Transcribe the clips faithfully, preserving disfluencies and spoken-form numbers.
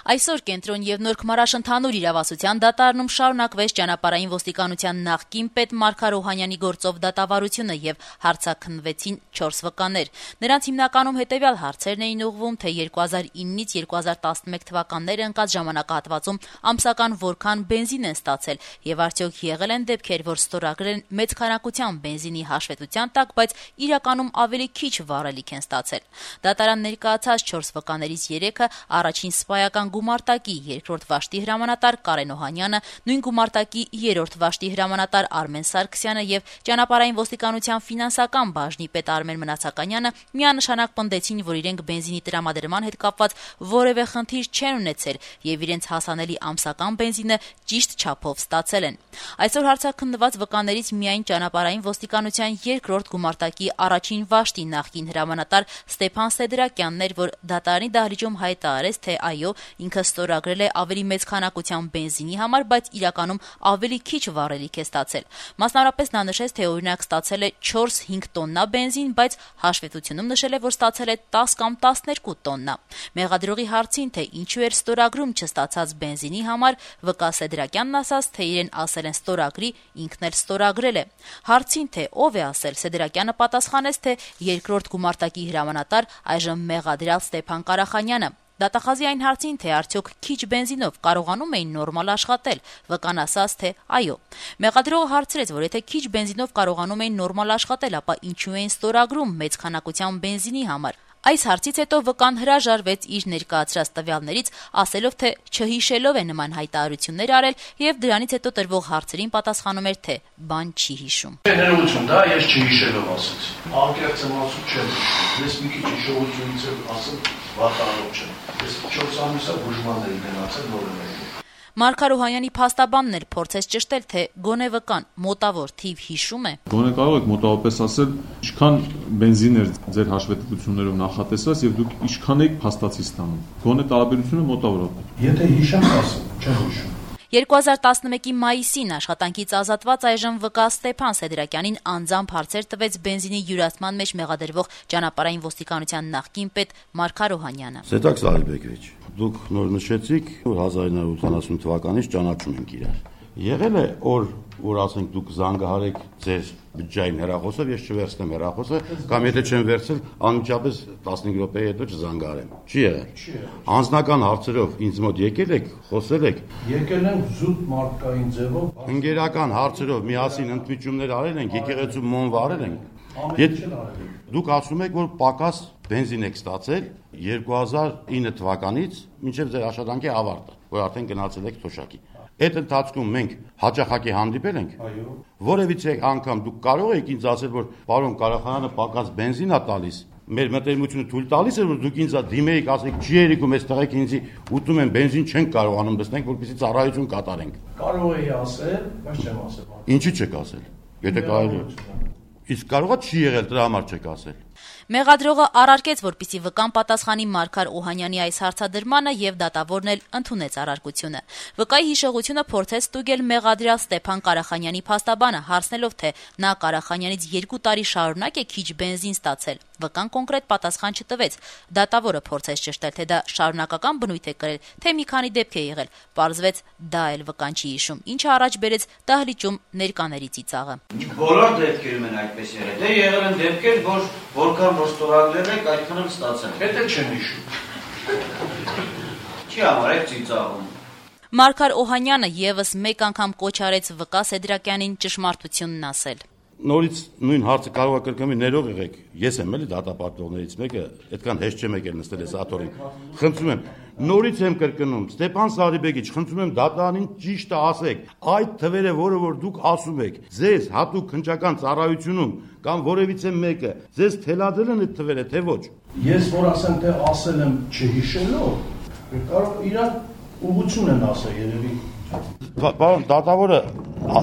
Այսօր Կենտրոն եւ Նոր Քմարաշ ընդհանուր իրավասության դատարանում շարունակվեց ճանապարհային ոստիկանության նախկին պետ Մարգար Օհանյանի գործով դատավարությունը եւ հարցաքննվեցին չորս վկաներ։ Նրանց հիմնականում հետեւյալ հարցերն էին ուղղվում, թե երկու հազար իննից երկու հազար տասնմեկ թվականները ընկած ժամանակահատվածում ամսական որքան բենզին են ստացել եւ արդյոք եղել են դեպքեր, որ ստորագրել են մեծ քանակության բենզինի հաշվետվության տակ, բայց իրականում ավելի քիչ վառելիք են ստացել։ Դատարան ներկայացած չորս վկաներից երեքը առաջին սպայական գումարտակի երկրորդ վաշտի հրամանատար Կարեն Օհանյանը, նույն գումարտակի երրորդ վաշտի հրամանատար Արմեն Սարգսյանը եւ ճանապարհային ոստիկանության ֆինանսական բաժնի պետ Արմեն Մնացականյանը միանշանակ պնդեցին, որ իրենք բենզինի տրամադրման հետ կապված որևէ խնդիր չեն ունեցել եւ իրենց հասանելի ամսական բենզինը ճիշտ չափով ստացել են։ Այսօր հարցաքննված վկաներից միայն ճանապարհային ոստիկանության երկրորդ գումարտակի առաջին վաշտի նախկին հրամանատար Ստեփան Սեդրակյանն էր, որ դատարանի դահլիճում հայտարարեց, թե այո, ինքը ստորագրել է ավելի մեծ քանակության բենզինի համար, բայց իրականում ավելի քիչ վառելիք է ստացել։ Մասնավորապես նա նշեց, թե օրինակ ստացել է չորս-հինգ տոննա բենզին, բայց հաշվետվությունում նշել է, որ ստացել է տաս կամ տասներկու տոննա։ Մեղադրողի հարցին, թե ինչու էր ստորագրում չստացած բենզինի համար, վկա Սեդրակյանն ասաց, թե իրեն ասել են ստորագրի, ինքն էլ ստորագրել է։ Հարցին, թե ով է ասել, Սեդրակյանը պատասխանեց, թե երկրորդ գումարտակի հրամանատար, այժմ մեղադրյալ Ստեփան Կարախանյանը։ Դատախազի այն հարցին, թե արդյոք քիչ բենզինով կարողանում էին նորմալ աշխատել, վկան ասաց, թե այո։ Մեղադրողը հարցրեց, որ եթե քիչ բենզինով կարողանում էին նորմալ աշխատել, ապա ինչու էին ստորագրում մեծ քանակության բենզինի համար։ Այս հարցից հետո վկան հրաժարվեց իր ներկայացրած տվյալներից, ասելով, թե չհիշելով է նման հայտարարություններ արել եւ դրանից հետո տրվող հարցերին պատասխանում էր, թե բան չի հիշում։ Ներողություն, դա ես չհիշելով ասեցի։ Անկեղծ եմ ասում չեմ։ Ես մի քիչ հիշողությունից եմ ասում, վատանոց չեմ։ Ես չորս ամիսա բուժմանների գնացել նորմալ։ Մարգար Օհանյանի փաստաբանն էլ փորձեց ճշտել, թե գոնե վկան մոտավոր թիվ հիշում է։ Գոնե կարող եք մոտավորապես ասել, ինչքան բենզին էր ձեր հաշվետվություններով նախատեսված եւ դուք ինչքան եք փաստացի ստանում։ Գոնե տարբերությունը մոտավորապես։ Եթե հիշեմ, ասեմ, չեմ հիշում։ երկու հազար տասնմեկի մայիսին աշխատանքից ազատված այժմ վկա Ստեփան Սեդրակյանին անձամբ հարցեր տվեց բենզինի յուրացման մեջ մեղադրվող ճանապարհային ոստիկանության նախկին պետ Մարգար Օհանյանը։ Սետակ Սահիբեկովիչ, դուք նոր նշեցիք, որ հազար իննսուն ութանասուն թվականից ճանաչում ենք իրար։ Եղել է օր, որ ասենք դուք զանգահարեք ձեր բջջային հեռախոսով, ես չվերցնեմ հեռախոսը, կամ եթե չեմ վերցել, անմիջապես տասնհինգ րոպեի հետո չզանգահարեմ։ Չի եղել։ Անձնական հարցերով ինձ մոտ եկել եք, խոսել եք։ Եկել են զուտ մարդկային ձևով։ Ընկերական հարցերով միասին ընդմիջումներ արել ենք, եկեղեցու մոմ վարել ենք։ Դուք ասում եք, որ պակաս բենզին եք ստացել երկու հազար ինը թվականից մինչև ձեր աշխատանքի ավարտը, որ արդեն գնացել եք թոշակի։ Այդ ընթացքում մենք հաճախակի հանդիպել ենք։ Այո։ Որևիցե անգամ դուք կարող եք ինձ ասել, որ պարոն Կարախանյանը պակաս բենզին է տալիս։ Մեր մտերմությունը թույլ տալիս է, որ դուք ինձ դիմեիք, ասեք, չի երիկում, այս տղեկ ինձ ուտում են բենզին չենք կարողանում դստենք, որպեսզի ծառայություն կատարենք։ Կարող էի ասել, բայց չեմ ասել։ Ինչի՞ չեք ասել։ Եթե կարելի է։ Իսկ կարողա չի եղել, դրա համար չեք ասել։ Մեղադրողը առարկեց, որպեսզի վկան պատասխանի Մարգար Օհանյանի այս հարցադրմանը եւ դատավորն էլ ընդունեց առարկությունը։ Վկայի հիշողությունը փորձեց ստուգել մեղադրյալ Ստեփան Կարախանյանի փաստաբանը, հարցնելով, թե նա Կարախանյանից երկու տարի շարունակ է քիչ բենզին ստացել։ Վկան կոնկրետ պատասխան չտվեց։ Դատավորը փորձեց ճշտել, թե դա շարունակական բնույթ է կրել, թե մի քանի դեպք է եղել։ Պարզվեց, դա էլ վկան չի հիշում, ինչը առաջ բերեց դահլիճում ներկաների ծիծաղը։ Բոլոր դեպքերում են այդպես եղել։ Դե եղել են դեպքեր, որ որքան որ ստորագրել եք, այդքան էլ ստացել։ Հետո չեմ հիշում։ Չի համարեք ծիծաղում։ Մարգար Օհանյանը եւս մեկ անգամ կոչ արեց վկա Սեդրակյանին ճշմարտությունն ասել։ Նորից նույն հարցը կարող է կրկնվի, ներող եղեք։ Ես եմ էլի դատապարտողներից մեկը, այդքան հեշտ չեմ եկել նստել այս աթոռին։ Խնդրում եմ, նորից եմ կրկնում, Ստեփան Սահիբեկովիչ, խնդրում եմ դատարանին ճիշտը ասեք։ Այդ թվերը, որը որ դուք ասում եք, ձեզ հատուկ քննչական ծառայությունում կամ որևիցե մեկը ձեզ թելադրել են այդ թվերը, թե ոչ։ Ես որ ասեմ, թե ասել եմ չհիշելով, կարող իրար ուղղություն են ասել երևի։ Պարոն դատավորը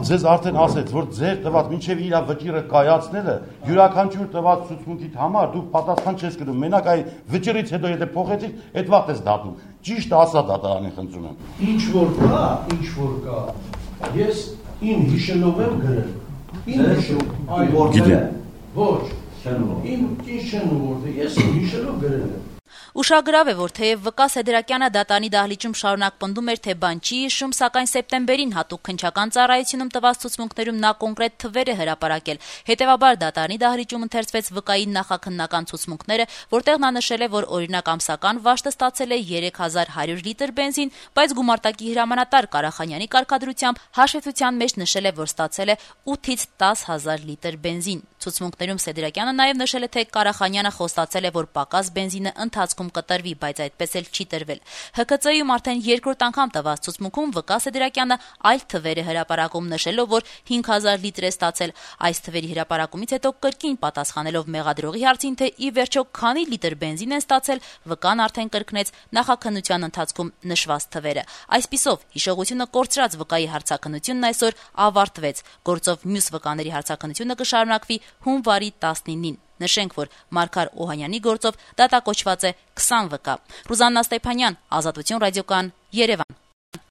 ձեզ արդեն ասեց, որ ձեր տված մինչև իր վճիրը կայացնելը յուրաքանչյուր տված ցուցմունքիդ համար դուք պատասխան չես կրում։ Մենակ այ վճիրից հետո եթե փոխեցիք, այդ վաղ ես դատում։ Ճիշտ ասա դատարանին խնդրում եմ։ Ինչ որ կա, ինչ որ կա։ Ես ին հիշելով եմ գրել։ Ին հիշում, այո, գիտեմ։ Ոչ, Իմ ինչ չեն ուղղորդել, ես հիշելով գրել եմ։ Ուշագրավ է, որ թեև Վկա Սեդրակյանը դատարանի դահլիճում շարունակ պնդում էր, թե բան չի հիշում, սակայն սեպտեմբերին հատուկ քննչական ծառայությունում տված ցուցմունքներում նա կոնկրետ թվեր է հրապարակել։ Հետևաբար դատարանի դահլիճում ընթերցվեց Վկայի նախաքննական ցուցմունքները, որտեղ նա նշել է, որ օրինակ ամսական վաշտը ստացել է երեք հազար հարյուր լիտր բենզին, բայց գումարտակի հրամանատար Կարախանյանի կարգադրությամբ հաշվետվության մեջ նշել է, որ ստացել է ութից տաս հազար լիտր բենզին։ Ցուցմունքներում Սեդրակյանը նաև նշել է, թե Կարախանյանը խոստացել է, որ պակաս բենզինը ընթացքում կտրվի, բայց այդպես էլ չի տրվել։ Հ K C-ում արդեն երկրորդ անգամ տված ցուցմունքում Վկա Սեդրակյանը այլ թվեր է հրապարակում, նշելով, որ հինգ հազար լիտր է ստացել։ Այս թվերի հրապարակումից հետո կրկին պատասխանելով մեղադրողի հարցին, թե ի վերջո քանի լիտր բենզին են ստացել, Վկան արդեն կրկնեց նախաքննության ընթացքում նշված թվերը։ Այսպիսով, հիշողությունը կորցրած Վկայի հարցաքննությունն այսօր ավարտվեց։ Գործով մյուս վկաների հարցաքննությունը կշարունակվի հունվարի տասնինին։ Նշենք, որ Մարգար Օհանյանի գործով դատակոչված է քսան վկա։ Ռուզաննա Ստեփանյան, Ազատություն ռադիոկան, Երևան։